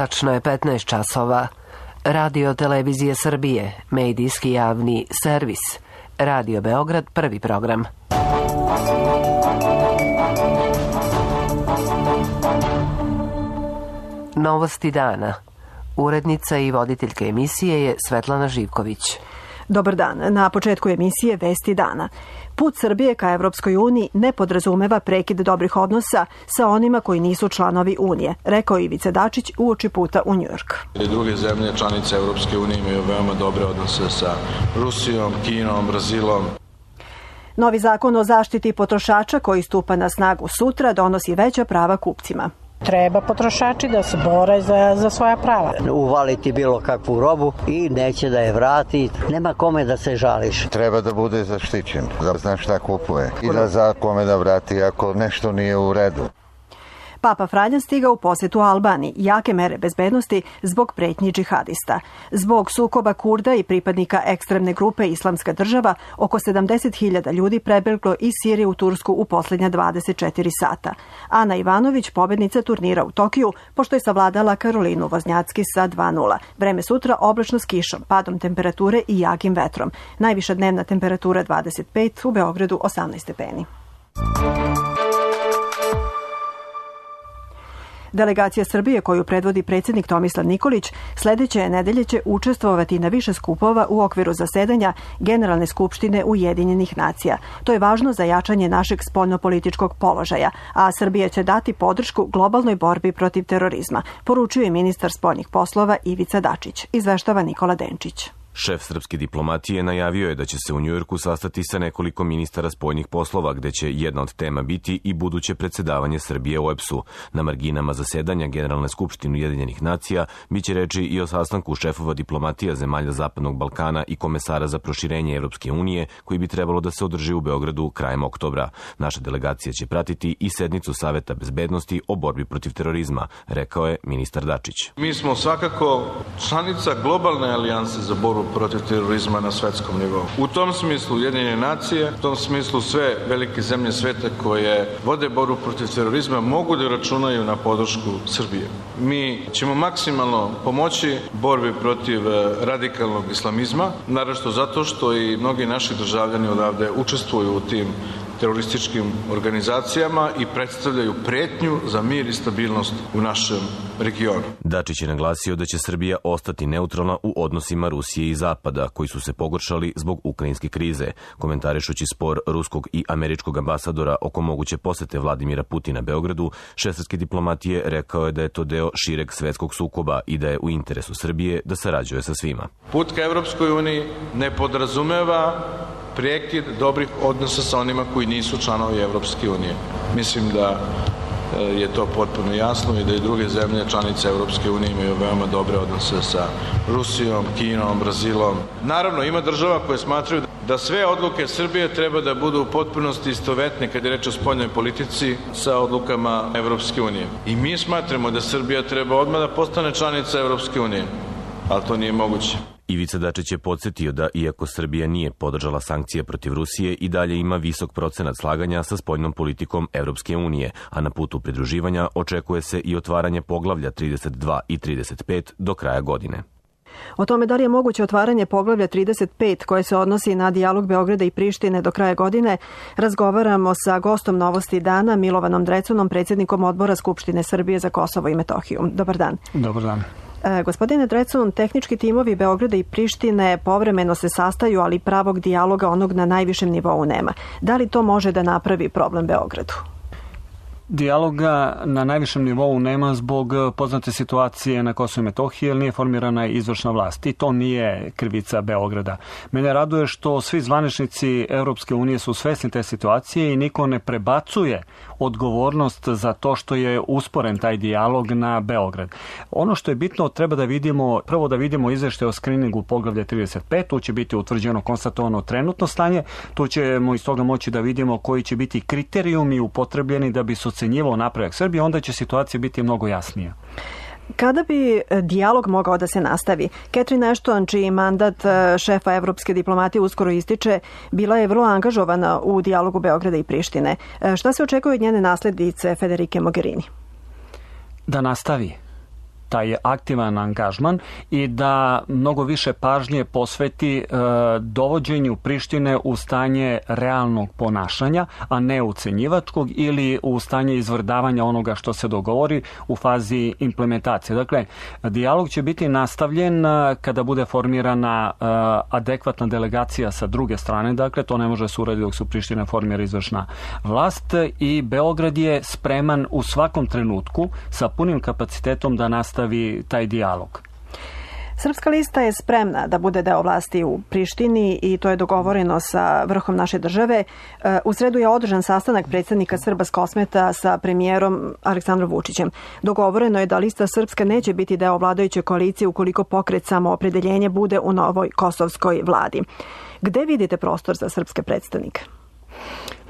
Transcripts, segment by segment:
Tačno je 15 časova. Radio Televizije Srbije, medijski javni servis. Radio Beograd, prvi program. Novosti dana. Urednica i voditeljka emisije je Svetlana Živković. Dobar dan. Na početku emisije Vesti dana. Put Srbije ka Evropskoj uniji ne podrazumeva prekid dobrih odnosa sa onima koji nisu članovi Unije, rekao Ivica Dačić uoči puta u Njujork. Druge zemlje članice Evropske unije imaju veoma dobre odnose sa Rusijom, Kinom, Brazilom. Novi zakon o zaštiti potrošača koji stupa na snagu sutra donosi veća prava kupcima. Treba potrošači da se bore za svoja prava. Uvaliti bilo kakvu robu i neće da je vrati. Nema kome da se žališ. Treba da bude zaštićen, da zna šta kupuje i da zna kome da vrati ako nešto nije u redu. Papa Franjo stigao u posjetu Albaniji, jake mere bezbednosti zbog pretnji džihadista. Zbog sukoba Kurda i pripadnika ekstremne grupe Islamska država, oko 70.000 ljudi prebeglo iz Sirije u Tursku u posljednja 24 sata. Ana Ivanović, pobednica turnira u Tokiju, pošto je savladala Karolinu Voznjacki sa 2:0. Vreme sutra oblačno s kišom, padom temperature i jakim vetrom. Najviša dnevna temperatura 25, u Beogradu 18 stepeni. Delegacija Srbije koju predvodi predsjednik Tomislav Nikolić sledeće nedelje će učestvovati na više skupova u okviru zasedanja Generalne skupštine Ujedinjenih nacija. To je važno za jačanje našeg spoljnopolitičkog položaja, a Srbija će dati podršku globalnoj borbi protiv terorizma, poručuje ministar spoljnih poslova Ivica Dačić, izveštava Nikola Denčić. Šef srpske diplomatije najavio je da će se u Njujorku sastati sa nekoliko ministara spoljnih poslova, gde će jedna od tema biti i buduće predsedavanje Srbije OEBS-u. Na marginama zasedanja Generalne skupštine Ujedinjenih nacija biće reči i o sastanku šefova diplomatija zemalja Zapadnog Balkana i komesara za proširenje Evropske unije, koji bi trebalo da se održi u Beogradu krajem oktobra. Naša delegacija će pratiti i sednicu Saveta bezbednosti o borbi protiv terorizma, rekao je ministar Dačić. Mi smo svakako članica globalne alijanse za borbu protiv terorizma na svetskom nivou. U tom smislu Ujedinjene nacije, u tom smislu sve velike zemlje sveta koje vode borbu protiv terorizma mogu da računaju na podršku Srbije. Mi ćemo maksimalno pomoći borbi protiv radikalnog islamizma, naravno zato što i mnogi naši državljani odavde učestvuju u tim terorističkim organizacijama i predstavljaju pretnju za mir i stabilnost u našem regionu. Dačić je naglasio da će Srbija ostati neutralna u odnosima Rusije i Zapada, koji su se pogoršali zbog ukrajinske krize. Komentarišući spor ruskog i američkog ambasadora oko moguće posete Vladimira Putina Beogradu, šef srpske diplomatije rekao je da je to deo šireg svetskog sukoba i da je u interesu Srbije da sarađuje sa svima. Put ka Evropskoj uniji ne podrazumeva prekid dobrih odnosa sa onima koji nisu članovi Evropske unije. Mislim da je to potpuno jasno i da i druge zemlje članice Evropske unije imaju veoma dobre odnose sa Rusijom, Kinom, Brazilom. Naravno, ima država koje smatraju da sve odluke Srbije treba da budu u potpunosti istovetne kad je reč o spoljnoj politici sa odlukama Evropske unije. I mi smatramo da Srbija treba odmah da postane članica Evropske unije, ali to nije moguće. Ivica Dačić je podsjetio da, iako Srbija nije podržala sankcije protiv Rusije, i dalje ima visok procenat slaganja sa spoljnom politikom Evropske unije, a na putu pridruživanja očekuje se i otvaranje poglavlja 32 i 35 do kraja godine. O tome da li je moguće otvaranje poglavlja 35 koje se odnosi na dijalog Beograda i Prištine do kraja godine, razgovaramo sa gostom Novosti dana Milovanom Drecunom, predsjednikom odbora Skupštine Srbije za Kosovo i Metohiju. Dobar dan. Dobar dan. Gospodine Drecun, tehnički timovi Beograda i Prištine povremeno se sastaju, ali pravog dijaloga onog na najvišem nivou nema. Da li to može da napravi problem Beogradu? Dijaloga na najvišem nivou nema zbog poznate situacije na Kosovu i Metohiji, jer nije formirana izvršna vlast i to nije krivica Beograda. Mene raduje što svi zvaničnici Europske unije su svesni te situacije i niko ne prebacuje odgovornost za to što je usporen taj dijalog na Beograd. Ono što je bitno, treba da vidimo, prvo da vidimo izveštaj o skriningu poglavlja 35, tu će biti utvrđeno konstatovano trenutno stanje, tu ćemo iz toga moći da vidimo koji će biti kriterijumi upotrebljeni da bi se ocenjivao napredak Srbije, onda će situacija biti mnogo jasnija. Kada bi dijalog mogao da se nastavi? Catherine Ashton, čiji mandat šefa evropske diplomatije uskoro ističe, bila je vrlo angažovana u dijalogu Beograda i Prištine. Šta se očekuje od njene naslednice Federike Mogherini? Da nastavi. taj aktivan angažman i da mnogo više pažnje posveti dovođenju Prištine u stanje realnog ponašanja, a ne ucenjivačkog ili u stanje izvrdavanja onoga što se dogovori u fazi implementacije. Dakle, dijalog će biti nastavljen kada bude formirana adekvatna delegacija sa druge strane. Dakle, to ne može se uraditi dok se u Prištini formira izvršna vlast i Beograd je spreman u svakom trenutku sa punim kapacitetom da nastavi taj dijalog. Srpska lista je spremna da bude deo vlasti u Prištini i to je dogovoreno sa vrhom naše države. U sredu je održan sastanak predsjednika Srba s Kosmeta sa premijerom Aleksandrom Vučićem. Dogovoreno je da lista Srpska neće biti deo vladajuće koalicije ukoliko pokret Samoopredeljenje bude u novoj kosovskoj vladi. Gde vidite prostor za srpske predstavnike?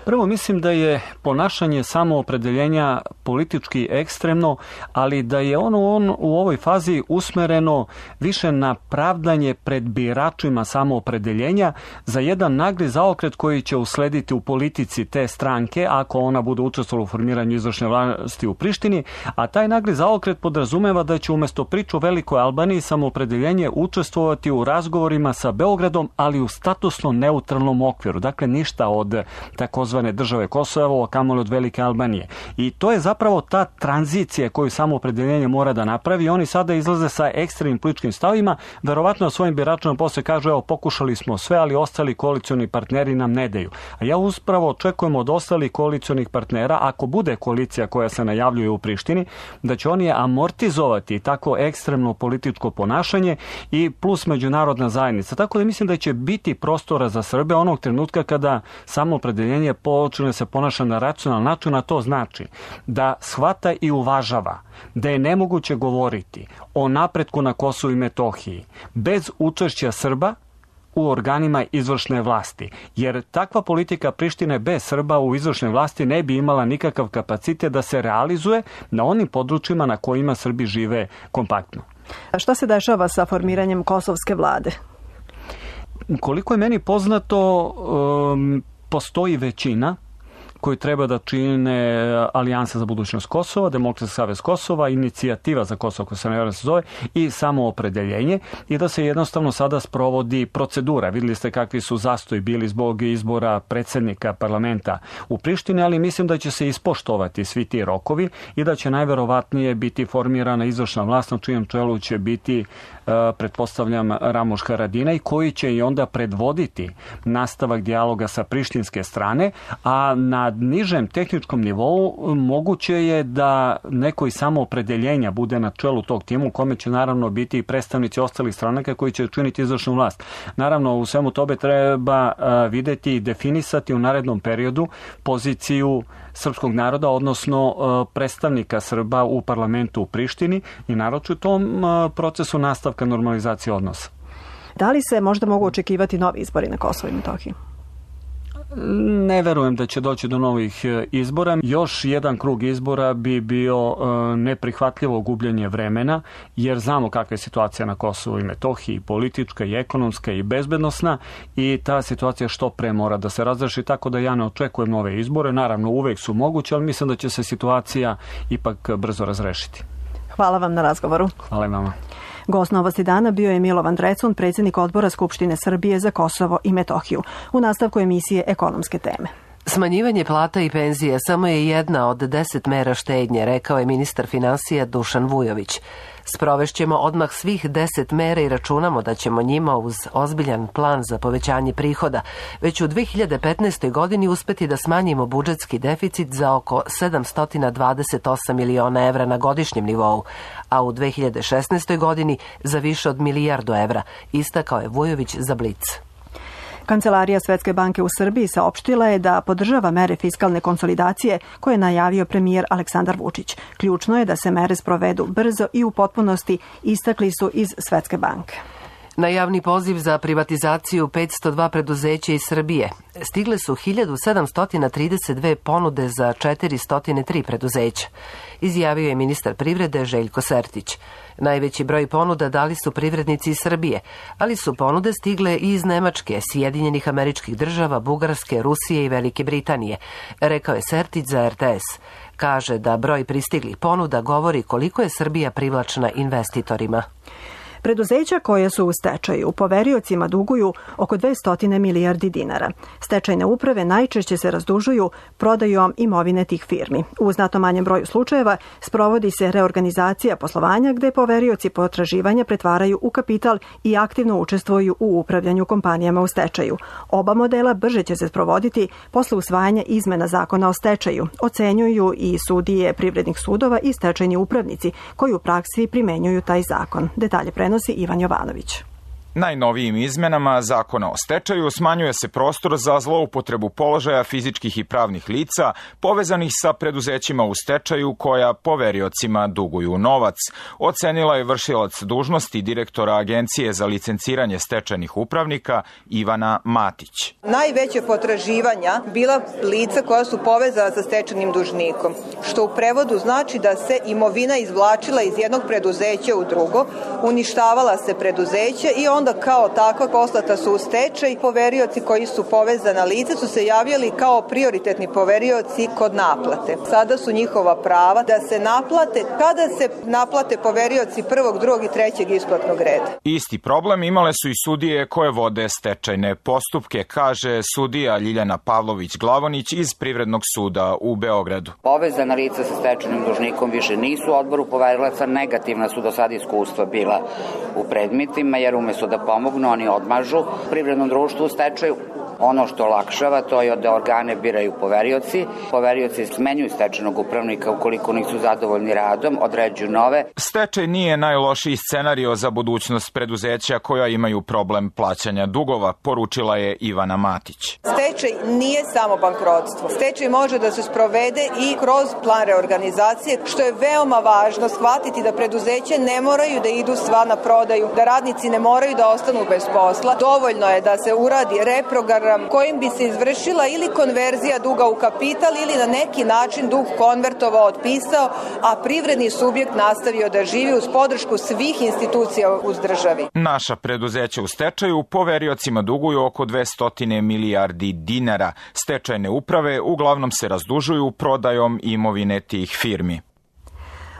Prvo, mislim da je ponašanje samoopredeljenja politički ekstremno, ali da je ono u ovoj fazi usmereno više na pravdanje pred biračima samoopredeljenja za jedan nagli zaokret koji će uslediti u politici te stranke ako ona bude učestvovala u formiranju izvršne vlasti u Prištini, a taj nagli zaokret podrazumeva da će umjesto priču o Velikoj Albaniji samoopredeljenje učestvovati u razgovorima sa Beogradom, ali u statusno neutralnom okviru. Dakle, ništa od takozvane države Kosovo, a kamoli od Velike Albanije. I to je zapravo ta tranzicija koju samoopredeljenje mora da napravi. Oni sada izlaze sa ekstremnim političkim stavima, verovatno svojim biračima posle kažu, evo, pokušali smo sve, ali ostali koalicioni partneri nam ne daju. A ja uspravo očekujem od ostalih koalicionih partnera, ako bude koalicija koja se najavljuje u Prištini, da će oni amortizovati tako ekstremno političko ponašanje i plus međunarodna zajednica. Tako da mislim da će biti prostora za Srbe onog trenutka kada samoopredeljenje počne se ponaša na racionalan način, a to znači da shvata i uvažava da je nemoguće govoriti o napretku na Kosovu i Metohiji bez učešća Srba u organima izvršne vlasti. Jer takva politika Prištine bez Srba u izvršnoj vlasti ne bi imala nikakav kapacitet da se realizuje na onim područjima na kojima Srbi žive kompaktno. A šta se dešava sa formiranjem kosovske vlade? Koliko je meni poznato, postoji većina koju treba da čine Alijansa za budućnost Kosova, Demokratski savez Kosova, Inicijativa za Kosovo, koja se ne zove, i Samoopredeljenje, i da se jednostavno sada sprovodi procedura. Vidjeli ste kakvi su zastoji bili zbog izbora predsjednika parlamenta u Prištini, ali mislim da će se ispoštovati svi ti rokovi i da će najverovatnije biti formirana izvršna vlast na čijem čelu će biti, pretpostavljam, Ramuš Haradinaj, koji će i onda predvoditi nastavak dijaloga sa prištinske strane, a na nižem tehničkom nivou moguće je da neko iz samoopredeljenja bude na čelu tog tima, u kome će naravno biti i predstavnici ostalih stranaka koji će činiti izvršnu vlast. Naravno, u svemu tobe treba videti i definisati u narednom periodu poziciju srpskog naroda, odnosno predstavnika Srba u parlamentu u Prištini i naročito u tom procesu nastavka normalizacije odnosa. Da li se možda mogu očekivati novi izbori na Kosovu i Metohiji? Ne verujem da će doći do novih izbora. Još jedan krug izbora bi bio neprihvatljivo gubljenje vremena, jer znamo kakva je situacija na Kosovu i Metohiji, politička i ekonomska i bezbednosna, i ta situacija što pre mora da se razreši, tako da ja ne očekujem nove izbore. Naravno, uvek su moguće, ali mislim da će se situacija ipak brzo razrešiti. Hvala vam na razgovoru. Hvala i vama. Gost Novosti dana bio je Milovan Drecun, predsjednik Odbora Skupštine Srbije za Kosovo i Metohiju. U nastavku emisije Ekonomske teme. Smanjivanje plata i penzije samo je jedna od 10 mera štednje, rekao je ministar finansija Dušan Vujović. Sprovešćemo odmah svih 10 mera i računamo da ćemo njima uz ozbiljan plan za povećanje prihoda već u 2015. godini uspeti da smanjimo budžetski deficit za oko 728 miliona evra na godišnjem nivou, a u 2016. godini za više od milijardu evra, istakao je Vujović za Blic. Kancelarija Svetske banke u Srbiji saopštila je da podržava mere fiskalne konsolidacije koje je najavio premijer Aleksandar Vučić. Ključno je da se mere sprovedu brzo i u potpunosti, istakli su iz Svetske banke. Na javni poziv za privatizaciju 502 preduzeća iz Srbije stigle su 1732 ponude za 403 preduzeća, izjavio je ministar privrede Željko Sertić. Najveći broj ponuda dali su privrednici iz Srbije, ali su ponude stigle i iz Nemačke, Sjedinjenih Američkih Država, Bugarske, Rusije i Velike Britanije, rekao je Sertić za RTS. Kaže da broj pristiglih ponuda govori koliko je Srbija privlačna investitorima. Preduzeća koja su u stečaju poveriocima duguju oko 200 milijardi dinara. Stečajne uprave najčešće se razdužuju prodajom imovine tih firmi. U znatno manjem broju slučajeva sprovodi se reorganizacija poslovanja gde poverioci potraživanja pretvaraju u kapital i aktivno učestvuju u upravljanju kompanijama u stečaju. Oba modela brže će se sprovoditi posle usvajanja izmena zakona o stečaju, ocenjuju i sudije privrednih sudova i stečajni upravnici koji u praksi primenjuju taj zakon. Detalje prenosi Ivan Jovanović. Najnovijim izmenama zakona o stečaju smanjuje se prostor za zloupotrebu položaja fizičkih i pravnih lica povezanih sa preduzećima u stečaju koja poveriocima duguju novac, ocenila je vršilac dužnosti direktora Agencije za licenciranje stečajnih upravnika Ivana Matić. Najveće potraživanja bila lica koja su povezana sa stečajnim dužnikom, što u prevodu znači da se imovina izvlačila iz jednog preduzeća u drugo, uništavala se preduzeće i onda kao takva poslata su u stečaj. Poverioci koji su povezana lica su se javljali kao prioritetni poverioci kod naplate. Sada su njihova prava da se naplate kada se naplate poverioci prvog, drugog i trećeg isplatnog reda. Isti problem imale su i sudije koje vode stečajne postupke, kaže sudija Ljiljana Pavlović-Glavonić iz Privrednog suda u Beogradu. Povezana lica sa stečajnim dužnikom više nisu u odboru poverilaca, negativna su do sada iskustva bila u predmetima, jer umesto da pomognu, oni odmažu privrednom društvu u stečaju. Ono što olakšava to je da organe biraju poverioci. Poverioci smenjuju stečajnog upravnika ukoliko nisu zadovoljni radom, određuju nove. Stečaj nije najlošiji scenario za budućnost preduzeća koja imaju problem plaćanja dugova, poručila je Ivana Matić. Stečaj nije samo bankrotstvo. Stečaj može da se sprovede i kroz plan reorganizacije, što je veoma važno shvatiti da preduzeće ne moraju da idu sva na prodaju, da radnici ne moraju da ostanu bez posla. Dovoljno je da se uradi reprogram kojim bi se izvršila ili konverzija duga u kapital ili na neki način dug konvertovao, otpisao, a privredni subjekt nastavio da živi uz podršku svih institucija uz državi. Naša preduzeća u stečaju poveriocima duguju oko 200 milijardi dinara. Stečajne uprave uglavnom se razdužuju prodajom imovine tih firmi.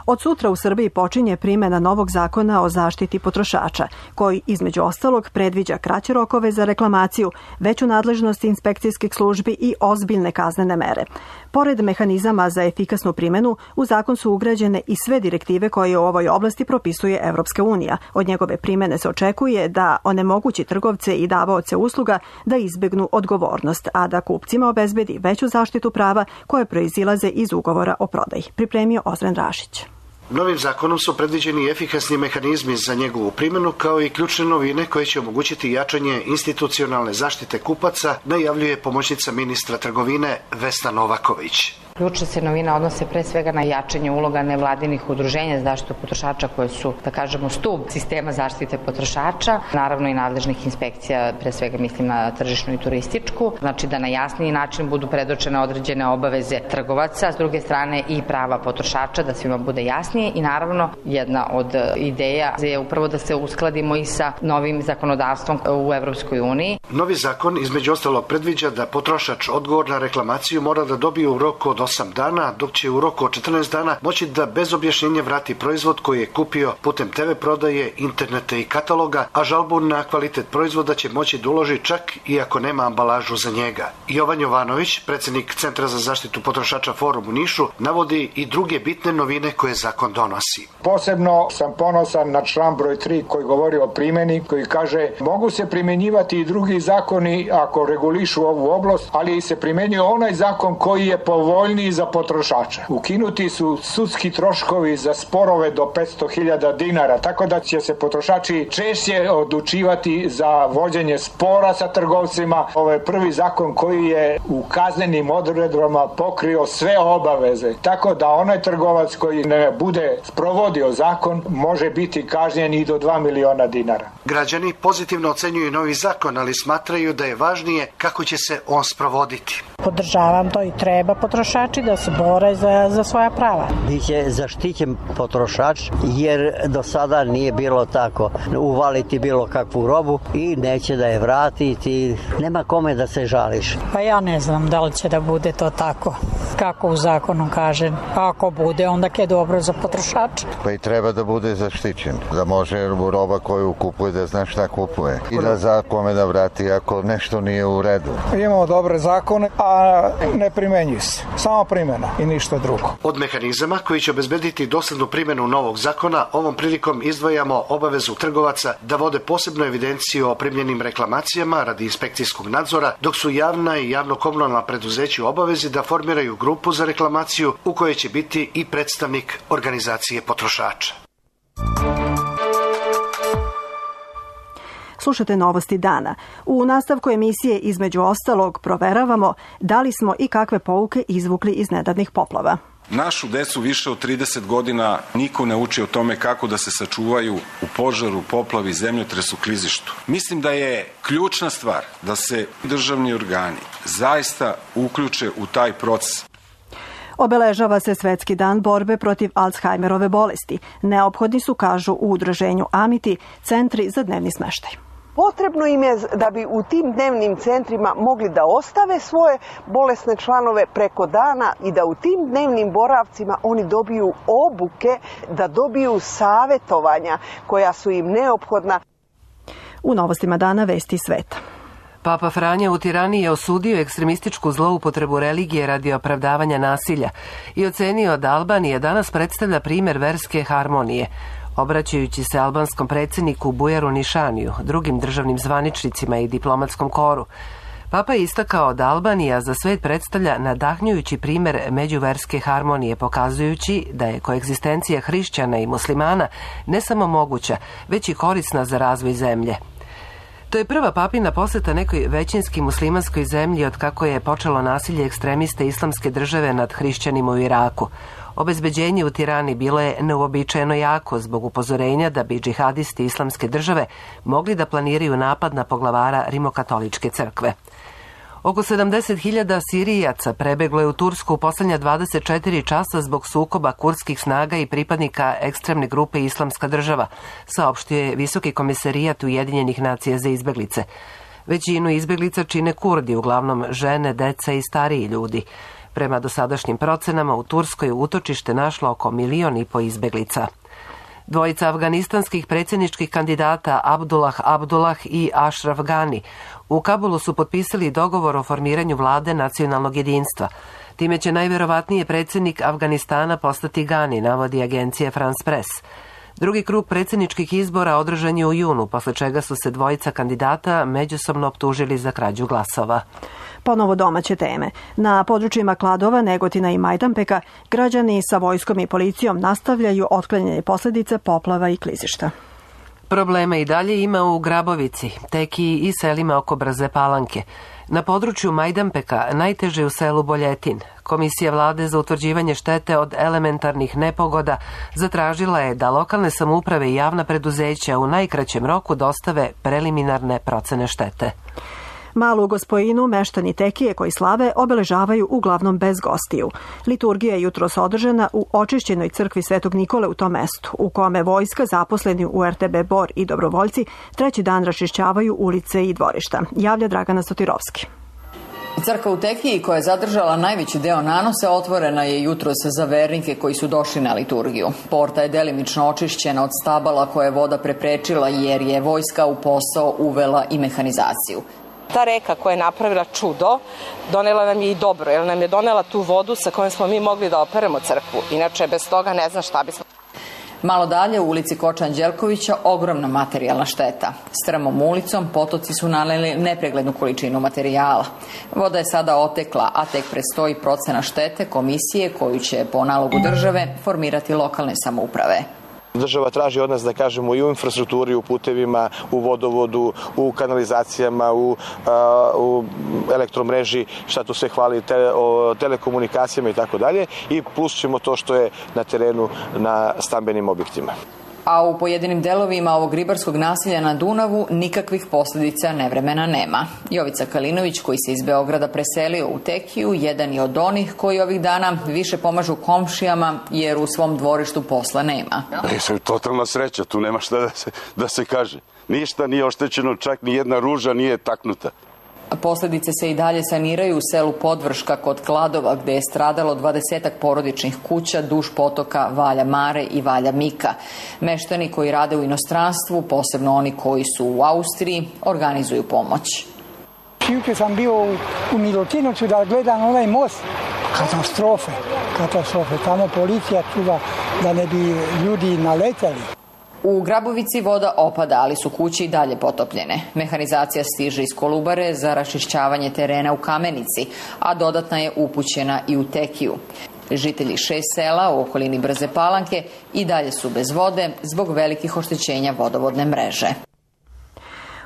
Od sutra u Srbiji počinje primjena novog zakona o zaštiti potrošača, koji između ostalog predviđa kraće rokove za reklamaciju, veću nadležnost inspekcijskih službi i ozbiljne kaznene mere. Pored mehanizama za efikasnu primjenu, u zakon su ugrađene i sve direktive koje u ovoj oblasti propisuje Evropska unija. Od njegove primjene se očekuje da onemogući trgovce i davaoce usluga da izbegnu odgovornost, a da kupcima obezbedi veću zaštitu prava koje proizilaze iz ugovora o prodaji. Pripremio Ozren Rašić. Novim zakonom su predviđeni efikasni mehanizmi za njegovu primjenu, kao i ključne novine koje će omogućiti jačanje institucionalne zaštite kupaca, najavljuje pomoćnica ministra trgovine Vesna Novaković. Ključne se novine odnose pre svega na jačanje uloga nevladinih udruženja za zaštitu potrošača koje su, da kažemo, stub sistema zaštite potrošača, naravno i nadležnih inspekcija, pre svega mislim na tržišnu i turističku, znači da na jasniji način budu predočene određene obaveze trgovaca, s druge strane i prava potrošača, da svima bude jasnije i naravno jedna od ideja je upravo da se uskladimo i sa novim zakonodavstvom u Evropskoj uniji. Novi zakon između ostalog predviđa da potrošač odgovor na reklamaciju mora da dobije u roku od 8 dana, dok će u roku od 14 dana moći da bez objašnjenja vrati proizvod koji je kupio putem TV prodaje, interneta i kataloga, a žalbu na kvalitet proizvoda će moći da uloži čak i ako nema ambalažu za njega. Jovan Jovanović, predsjednik Centra za zaštitu potrošača Forum u Nišu, navodi i druge bitne novine koje zakon donosi. Posebno sam ponosan na član broj 3 koji govori o primjeni, koji kaže mogu se primjenjivati i drugi zakoni ako regulišu ovu oblast, ali se primjenjuje onaj zakon koji je povoljniji povoljniji za potrošača. Ukinuti su sudski troškovi za sporove do 500.000 dinara, tako da će se potrošači češće odlučivati za vođenje spora sa trgovcima. Ovo je prvi zakon koji je u kaznenim odredbama pokrio sve obaveze, tako da onaj trgovac koji ne bude sprovodio zakon može biti kažnjen i do 2 miliona dinara. Građani pozitivno ocenjuju novi zakon, ali smatraju da je važnije kako će se on sprovoditi. Podržavam to i treba potrošači da se bore za svoja prava. Biće zaštićen potrošač jer do sada nije bilo tako. Uvaliti bilo kakvu robu i neće da je vratiti. Nema kome da se žališ. Pa ja ne znam da li će da bude to tako kako u zakonu kaže. Ako bude, onda je dobro za potrošača. Pa i treba da bude zaštićen. Da može roba koju kupuje da zna šta kupuje. I da zna kome da vrati ako nešto nije u redu. Imamo dobre zakone, a ne primenjuju se. Samo primjena i ništa drugo. Od mehanizama koji će obezbediti doslednu primjenu novog zakona, ovom prilikom izdvajamo obavezu trgovaca da vode posebnu evidenciju o primljenim reklamacijama radi inspekcijskog nadzora, dok su javna i javno-komunalna preduzeća u obavezi da formiraju grupu za reklamaciju u kojoj će biti i predstavnik organizacije potrošača. Slušate novosti dana. U nastavku emisije između ostalog proveravamo da li smo i kakve pouke izvukli iz nedavnih poplava. Našu decu više od 30 godina niko ne uči o tome kako da se sačuvaju u požaru, poplavi, zemljotresu, klizištu. Mislim da je ključna stvar da se državni organi zaista uključe u taj proces. Obeležava se Svetski dan borbe protiv Alzheimerove bolesti. Neophodni su, kažu u udruženju Amiti, centri za dnevni smeštaj. Potrebno im je da bi u tim dnevnim centrima mogli da ostave svoje bolesne članove preko dana i da u tim dnevnim boravcima oni dobiju obuke, da dobiju savetovanja koja su im neophodna. U novostima dana vesti sveta. Papa Franja u Tirani je osudio ekstremističku zloupotrebu religije radi opravdavanja nasilja i ocenio da Albanija danas predstavlja primjer verske harmonije. Obraćajući se albanskom predsjedniku Bujaru Nišaniju, drugim državnim zvaničnicima i diplomatskom koru, Papa je istakao da Albanija za svet predstavlja nadahnjujući primjer međuverske harmonije, pokazujući da je koegzistencija hrišćana i muslimana ne samo moguća, već i korisna za razvoj zemlje. To je prva papina posjeta nekoj većinski muslimanskoj zemlji od kako je počelo nasilje ekstremiste islamske države nad hrišćanima u Iraku. Obezbeđenje u Tirani bilo je neuobičajeno jako zbog upozorenja da bi džihadisti islamske države mogli da planiraju napad na poglavara Rimokatoličke crkve. Oko 70.000 Sirijaca prebeglo je u Tursku u posljednja 24 časa zbog sukoba kurdskih snaga i pripadnika ekstremne grupe Islamska država, saopštio je Visoki komisarijat Ujedinjenih nacija za izbeglice. Većinu izbeglica čine Kurdi, uglavnom žene, deca i stariji ljudi. Prema dosadašnjim procenama u Turskoj utočište našlo oko 1,5 miliona izbeglica. Dvojica afganistanskih predsjedničkih kandidata Abdullah i Ashraf Ghani u Kabulu su potpisali dogovor o formiranju vlade nacionalnog jedinstva. Time će najvjerovatnije predsjednik Afganistana postati Ghani, navodi agencija France Press. Drugi krug predsjedničkih izbora održan je u junu, posle čega su se dvojica kandidata međusobno optužili za krađu glasova. Ponovo domaće teme. Na područjima Kladova, Negotina i Majdanpeka građani sa vojskom i policijom nastavljaju otklanjanje posljedica poplava i klizišta. Problema i dalje ima u Grabovici, Tekiji i selima oko Brze Palanke. Na području Majdanpeka najteže u selu Boljetin. Komisija vlade za utvrđivanje štete od elementarnih nepogoda zatražila je da lokalne samouprave i javna preduzeća u najkraćem roku dostave preliminarne procene štete. Malu Gospojinu meštani Tekije koji slave obeležavaju uglavnom bez gostiju. Liturgija je jutros održana u očišćenoj crkvi Svetog Nikole u tom mestu, u kome vojska, zaposleni u RTB Bor i dobrovoljci treći dan raščišćavaju ulice i dvorišta. Javlja Dragana Sotirovski. Crkva u Tekiji, koja je zadržala najveći deo nanose, otvorena je jutros za vernike koji su došli na liturgiju. Porta je delimično očišćena od stabala koje je voda preprečila jer je vojska u posao uvela i mehanizaciju. Ta reka koja je napravila čudo, donela nam je i dobro, jer nam je donela tu vodu sa kojom smo mi mogli da operemo crkvu. Inače, bez toga ne znam šta bismo. Malo dalje u ulici Koča Anđelkovića ogromna materijalna šteta. Strmom ulicom potoci su nalili nepreglednu količinu materijala. Voda je sada otekla, a tek predstoji procena štete komisije koju će po nalogu države formirati lokalne samouprave. Država traži od nas da kažemo i u infrastrukturi, u putevima, u vodovodu, u kanalizacijama, u elektromreži, šta tu sve hvali, o telekomunikacijama i tako dalje, i plus ćemo to što je na terenu na stambenim objektima. A u pojedinim delovima ovog ribarskog naselja na Dunavu nikakvih posljedica nevremena nema. Jovica Kalinović, koji se iz Beograda preselio u Tekiju, jedan je od onih koji ovih dana više pomažu komšijama jer u svom dvorištu posla nema. Totalna sreća, tu nema šta da se kaže. Ništa nije oštećeno, čak ni jedna ruža nije taknuta. Posljedice se i dalje saniraju u selu Podvrška kod Kladova, gde je stradalo 20-ak porodičnih kuća duž potoka Valja Mare i Valja Mika. Meštani koji rade u inostranstvu, posebno oni koji su u Austriji, organizuju pomoć. Juče sam bio u Milutinovcu da gledam onaj most. Katastrofe. Tamo policija čuva da ne bi ljudi naletali. U Grabovici voda opada, ali su kuće i dalje potopljene. Mehanizacija stiže iz Kolubare za raščišćavanje terena u Kamenici, a dodatna je upućena i u Tekiju. Žitelji 6 sela u okolini Brze Palanke i dalje su bez vode zbog velikih oštećenja vodovodne mreže.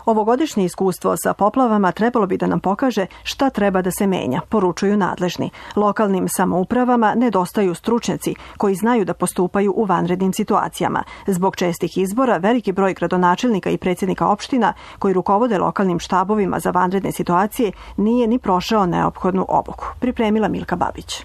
Ovogodišnje iskustvo sa poplavama trebalo bi da nam pokaže šta treba da se menja, poručuju nadležni. Lokalnim samoupravama nedostaju stručnjaci koji znaju da postupaju u vanrednim situacijama. Zbog čestih izbora, veliki broj gradonačelnika i predsjednika opština koji rukovode lokalnim štabovima za vanredne situacije nije ni prošao neophodnu obuku. Pripremila Milka Babić.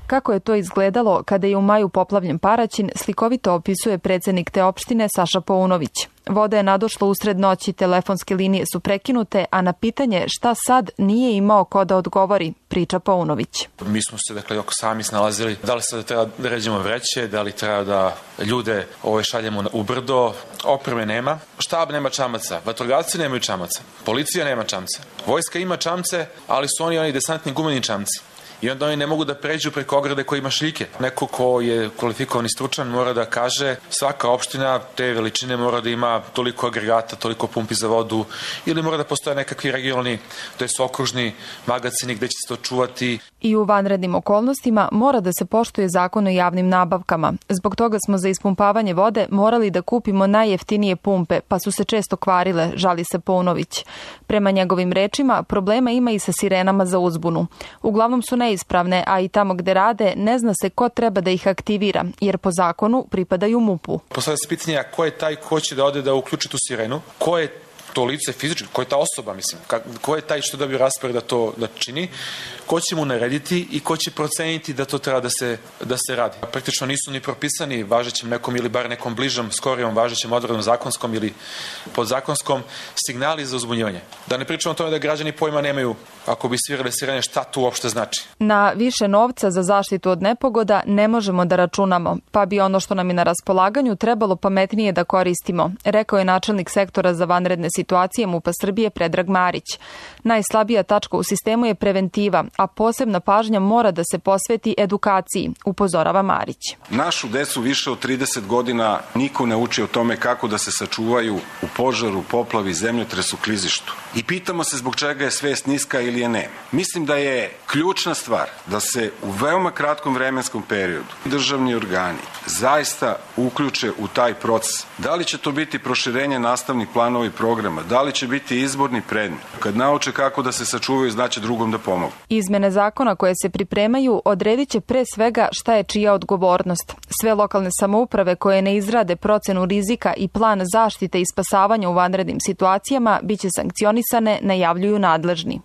Kako je to izgledalo kada je u maju poplavljen Paraćin, slikovito opisuje predsjednik te opštine Saša Paunović. Voda je nadošla usred noći, telefonske linije su prekinute, a na pitanje šta sad nije imao ko da odgovori, priča Paunović. Mi smo se sami snalazili da li sad treba da ređemo vreće, da li treba da ljude šaljemo u brdo, opreme nema, štab nema čamaca, vatrogasci nemaju čamaca, policija nema čamca, vojska ima čamce, ali su oni desantni gumeni čamci. I onda oni ne mogu da pređu preko ograde koji ima šljike. Neko ko je kvalifikovan i stručan mora da kaže svaka opština te veličine mora da ima toliko agregata, toliko pumpi za vodu, ili mora da postoje nekakvi regionalni, to je okružni magacini gde će se to čuvati. I u vanrednim okolnostima mora da se poštuje zakon o javnim nabavkama. Zbog toga smo za ispumpavanje vode morali da kupimo najjeftinije pumpe, pa su se često kvarile, žali se Paunović. Prema njegovim rečima, problema ima i sa sirenama za uzbunu. Uglavnom su neispravne, a i tamo gde rade ne zna se ko treba da ih aktivira, jer po zakonu pripadaju MUP-u. Postavlja se pitanje ko je taj ko će da ode da uključi tu sirenu, ko je to lice fizički, ko je ta osoba, ko je taj što dobio raspored da to čini, ko će mu narediti i ko će proceniti da to treba da se radi. Praktično nisu ni propisani važećim nekom ili bar nekom bližom, skorijom važećim odredbom zakonskom ili podzakonskom signali za uzbunjivanje. Da ne pričamo o tome da građani pojma nemaju, ako bi svirale sirene, šta to uopšte znači. Na više novca za zaštitu od nepogoda ne možemo da računamo, pa bi ono što nam je na raspolaganju trebalo pametnije da koristimo, rekao je načelnik sektora za vanredne situacije MUP-a Srbije Predrag Marić. Najslabija tačka u sistemu je preventiva, a posebna pažnja mora da se posveti edukaciji, upozorava Marić. Našu decu više od 30 godina niko ne uči o tome kako da se sačuvaju u požaru, poplavi, zemljotresu, klizištu. I pitamo se zbog čega je svest niska ili je nema. Mislim da je ključna stvar da se u veoma kratkom vremenskom periodu državni organi zaista uključe u taj proces. Da li će to biti proširenje nastavnih planova i programa, da li će biti izborni predmet. Kad nauče kako da se sačuvaju, znači drugom da pomogu. Izmene zakona koje se pripremaju odredit će pre svega šta je čija odgovornost. Sve lokalne samouprave koje ne izrade procenu rizika i plan zaštite i spasavanja u vanrednim situacijama biće sankcionisane, najavljuju nadležni.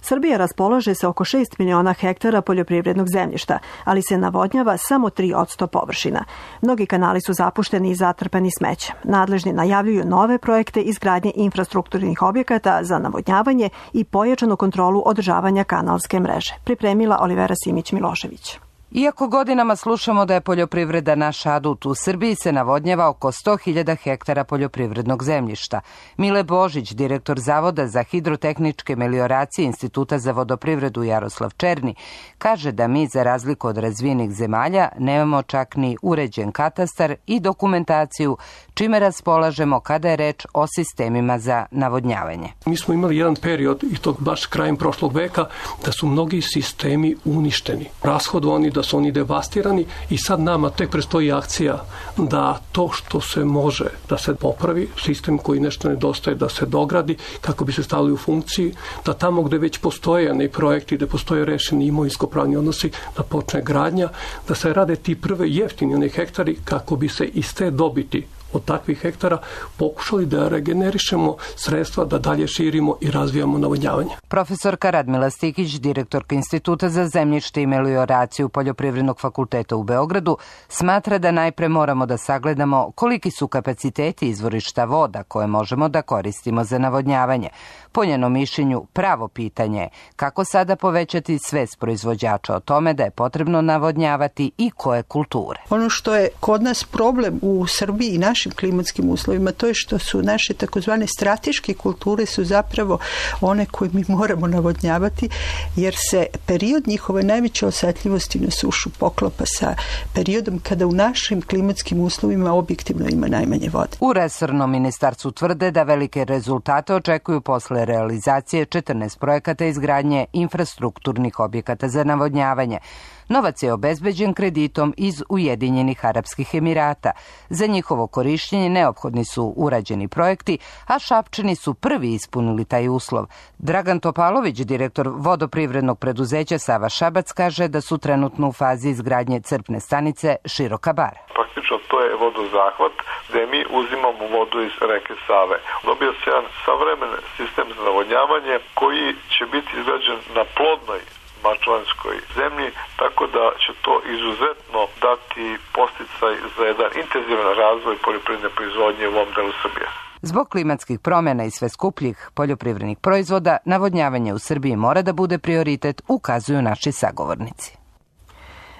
Srbija raspolaže sa oko 6 miliona hektara poljoprivrednog zemljišta, ali se navodnjava samo 3% površina. Mnogi kanali su zapušteni i zatrpani smećem. Nadležni najavljuju nove projekte izgradnje infrastrukturnih objekata za navodnjavanje i pojačanu kontrolu održavanja kanalske mreže. Pripremila Olivera Simić-Milošević. Iako godinama slušamo da je poljoprivreda naš adut, u Srbiji se navodnjava oko 100.000 hektara poljoprivrednog zemljišta. Mile Božić, direktor Zavoda za hidrotehničke melioracije Instituta za vodoprivredu Jaroslav Černi, kaže da mi, za razliku od razvijenih zemalja, nemamo čak ni uređen katastar i dokumentaciju, čime raspolažemo kada je reč o sistemima za navodnjavanje. Mi smo imali jedan period, i to baš krajem prošlog veka, da su mnogi sistemi uništeni, rashodovani, da su oni devastirani i sad nama tek predstoji akcija da to što se može da se popravi, sistem koji nešto nedostaje da se dogradi kako bi se stavili u funkciji, da tamo gde već postoje neki projekti, gde postoje rešeni imovinsko-pravni odnosi, da počne gradnja, da se rade ti prve jeftini hektari kako bi se iz te dobiti od takvih hektara pokušali da regenerišemo sredstva, da dalje širimo i razvijamo navodnjavanje. Profesorka Radmila Stikić, direktorka Instituta za zemljište i melioraciju Poljoprivrednog fakulteta u Beogradu, smatra da najpre moramo da sagledamo koliki su kapaciteti izvorišta voda koje možemo da koristimo za navodnjavanje. Po njenom mišljenju, pravo pitanje je kako sada povećati svest proizvođača o tome da je potrebno navodnjavati i koje kulture. Ono što je kod nas problem u Srbiji i našim klimatskim uslovima, to je što su naše takozvane strateške kulture su zapravo one koje mi moramo navodnjavati, jer se period njihove najveće osetljivosti na sušu poklapa sa periodom kada u našim klimatskim uslovima objektivno ima najmanje vode. U resornom ministarstvu tvrde da velike rezultate očekuju posle realizacije 14 projekata izgradnje infrastrukturnih objekata za navodnjavanje. Novac je obezbeđen kreditom iz Ujedinjenih Arapskih Emirata. Za njihovo korišćenje neophodni su urađeni projekti, a Šapčani su prvi ispunili taj uslov. Dragan Topalović, direktor vodoprivrednog preduzeća Sava Šabac, kaže da su trenutno u fazi izgradnje crpne stanice Široka bara. Praktično to je vodozahvat gde mi uzimamo vodu iz reke Save. Dobio se jedan savremen sistem za navodnjavanje koji će biti izgrađen na plodnoj mačvanskoj zemlji, tako da će to izuzetno dati podsticaj za jedan intenzivan razvoj poljoprivredne proizvodnje u ovom delu Srbije. Zbog klimatskih promjena i sve skupljih poljoprivrednih proizvoda, navodnjavanje u Srbiji mora da bude prioritet, ukazuju naši sagovornici.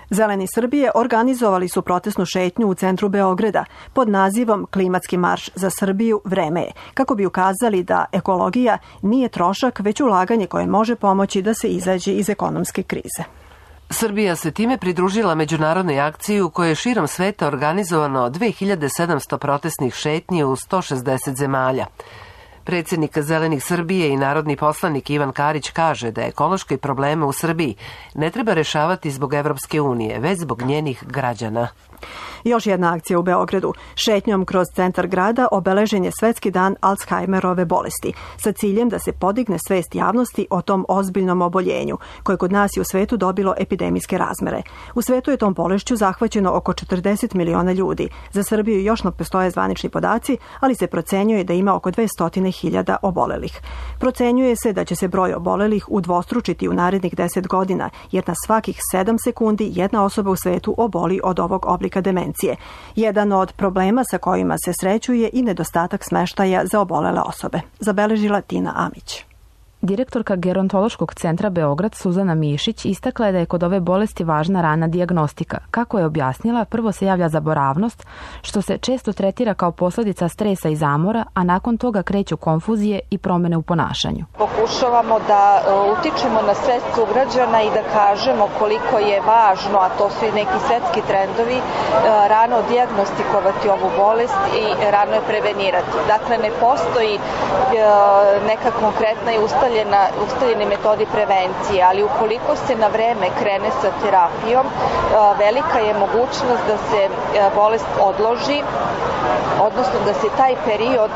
Zeleni Srbije organizovali su protestnu šetnju u centru Beograda pod nazivom Klimatski marš za Srbiju vreme je, kako bi ukazali da ekologija nije trošak, već ulaganje koje može pomoći da se izađe iz ekonomske krize. Srbija se time pridružila međunarodnoj akciji u kojoj je širom sveta organizovano 2700 protestnih šetnji u 160 zemalja. Predsjednik Zelenih Srbije i narodni poslanik Ivan Karić kaže da ekološke probleme u Srbiji ne treba rešavati zbog Evropske unije, već zbog njenih građana. Još jedna akcija u Beogradu. Šetnjom kroz centar grada obeležen je Svetski dan Alzheimerove bolesti, sa ciljem da se podigne svest javnosti o tom ozbiljnom oboljenju, koje kod nas i u svetu dobilo epidemijske razmere. U svetu je tom bolešću zahvaćeno oko 40 miliona ljudi. Za Srbiju još ne postoje zvanični podaci, ali se procenjuje da ima oko 200.000 obolelih. Procenjuje se da će se broj obolelih udvostručiti u narednih 10 godina, jer na svakih 7 sekundi jedna osoba u svetu oboli od ovog oblika demencije. Jedan od problema sa kojima se sreću je i nedostatak smeštaja za obolele osobe. Zabeležila Tina Amić. Direktorka Gerontološkog centra Beograd Suzana Mišić istakla je da je kod ove bolesti važna rana dijagnostika. Kako je objasnila, prvo se javlja zaboravnost, što se često tretira kao posljedica stresa i zamora, a nakon toga kreću konfuzije i promjene u ponašanju. Pokušavamo da utičemo na svest sugrađana i da kažemo koliko je važno, a to su i neki svetski trendovi, rano dijagnostikovati ovu bolest i rano je prevenirati. Dakle, ne postoji neka konkretna i ustaljene metodi prevencije, ali ukoliko se na vreme krene sa terapijom, velika je mogućnost da se bolest odloži, odnosno da se taj period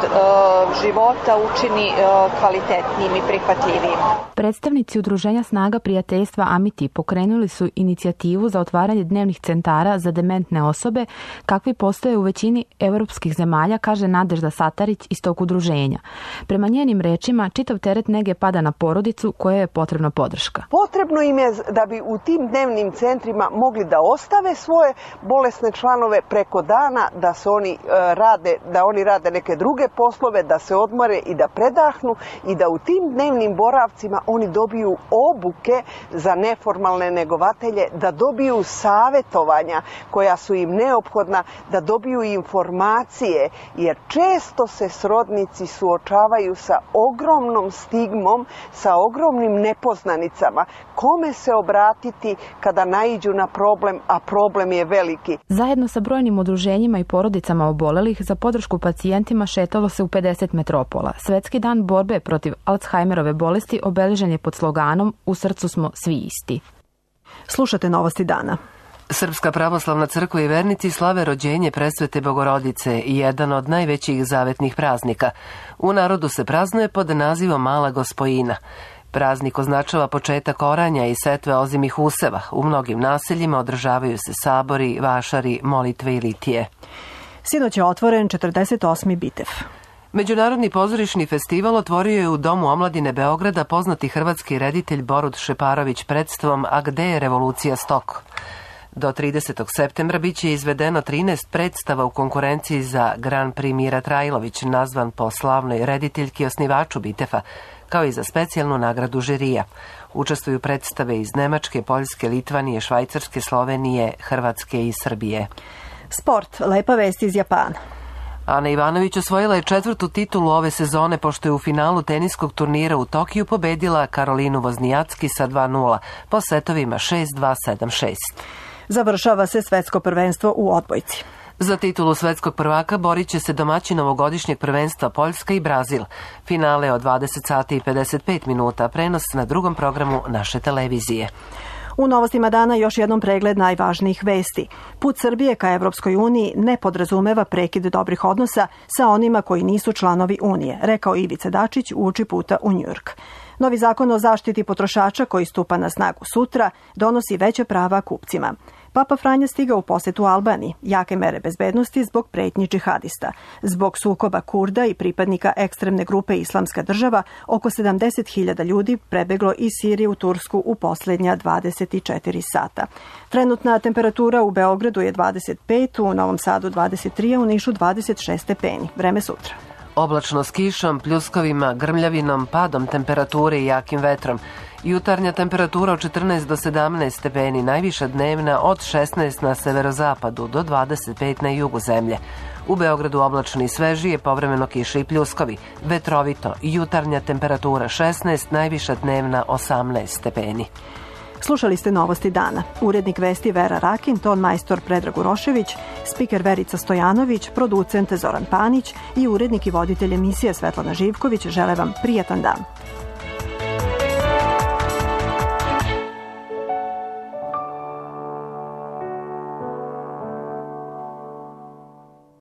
života učini kvalitetnijim i prihvatljivijim. Predstavnici Udruženja Snaga prijateljstva Amiti pokrenuli su inicijativu za otvaranje dnevnih centara za dementne osobe, kakvi postoje u većini europskih zemalja, kaže Nadežda Satarić iz tog udruženja. Prema njenim rečima, čitav teret nege pada na porodicu kojoj je potrebna podrška. Potrebno im je da bi u tim dnevnim centrima mogli da ostave svoje bolesne članove preko dana, da oni rade neke druge poslove, da se odmore i da predahnu i da u tim dnevnim boravcima oni dobiju obuke za neformalne negovatelje, da dobiju savjetovanja koja su im neophodna, da dobiju informacije, jer često se srodnici suočavaju sa ogromnom stigmom, sa ogromnim nepoznanicama. Kome se obratiti kada naiđu na problem, a problem je veliki? Zajedno sa brojnim udruženjima i porodicama obolelih za podršku pacijentima šetalo se u 50 metropola. Svetski dan borbe protiv Alzheimerove bolesti obeležen je pod sloganom "U srcu smo svi isti". Slušate Novosti dana. Srpska pravoslavna crkva i vernici slave rođenje Presvete Bogorodice, jedan od najvećih zavetnih praznika. U narodu se praznuje pod nazivom Mala Gospojina. Praznik označava početak oranja i setve ozimih useva. U mnogim naseljima održavaju se sabori, vašari, molitve i litije. Sinoć je otvoren 48. Bitev. Međunarodni pozorišni festival otvorio je u Domu omladine Beograda poznati hrvatski reditelj Borut Šeparović predstavom "A gde je revolucija Stok?". Do 30. septembra biće izvedeno 13 predstava u konkurenciji za Grand Prix Mira Trajlović, nazvan po slavnoj rediteljki i osnivaču Bitefa, kao i za specijalnu nagradu žirija. Učestvuju predstave iz Nemačke, Poljske, Litvanije, Švajcarske, Slovenije, Hrvatske i Srbije. Sport, lepa vest iz Japana. Ana Ivanović osvojila je 4. titulu ove sezone pošto je u finalu teniskog turnira u Tokiju pobedila Karolinu Voznijacki sa 2:0 po setovima 6-2, 7-6. Završava se svetsko prvenstvo u odbojci. Za titulu svetskog prvaka borit će se domaćin ovogodišnjeg prvenstva Poljska i Brazil. Finale od 20 sati i 55 minuta, prenos na drugom programu naše televizije. U Novostima dana još jednom pregled najvažnijih vesti. Put Srbije ka Evropskoj uniji ne podrazumeva prekid dobrih odnosa sa onima koji nisu članovi Unije, rekao Ivica Dačić uoči puta u Njujork. Novi zakon o zaštiti potrošača koji stupa na snagu sutra donosi veće prava kupcima. Papa Franja stigao u posetu Albaniji, jake mere bezbednosti zbog pretnji džihadista. Zbog sukoba Kurda i pripadnika ekstremne grupe Islamska država, oko 70.000 ljudi prebeglo iz Sirije u Tursku u posljednja 24 sata. Trenutna temperatura u Beogradu je 25, u Novom Sadu 23, a u Nišu 26 stepeni. Vreme sutra. Oblačno s kišom, pljuskovima, grmljavinom, padom temperature i jakim vetrom. Jutarnja temperatura od 14 do 17 stepeni, najviša dnevna od 16 na severozapadu do 25 na jugu zemlje. U Beogradu oblačno i svežije, povremeno kiše i pljuskovi. Vetrovito, jutarnja temperatura 16, najviša dnevna 18 stepeni. Slušali ste Novosti dana. Urednik vesti Vera Rakin, ton majstor Predrag Urošević, spiker Verica Stojanović, producent Zoran Panić i urednik i voditelj emisije Svetlana Živković žele vam prijatan dan.